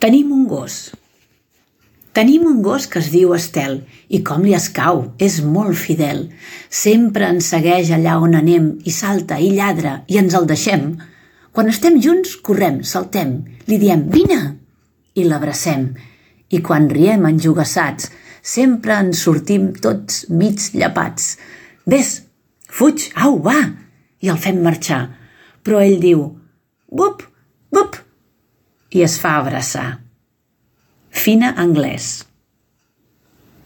Tenim un gos. Tenim un gos que es diu Estel i com li escau, és molt fidel. Sempre ens segueix allà on anem i salta i lladra i ens el deixem. Quan estem junts, correm, saltem, li diem «Vine!» i l'abracem. I quan riem enjogassats, sempre ens sortim tots mig llepats. «Vés, fuig, au, va!» i el fem marxar. Però ell diu «Bup, bup!» i es fa abraçar. Fina Anglès.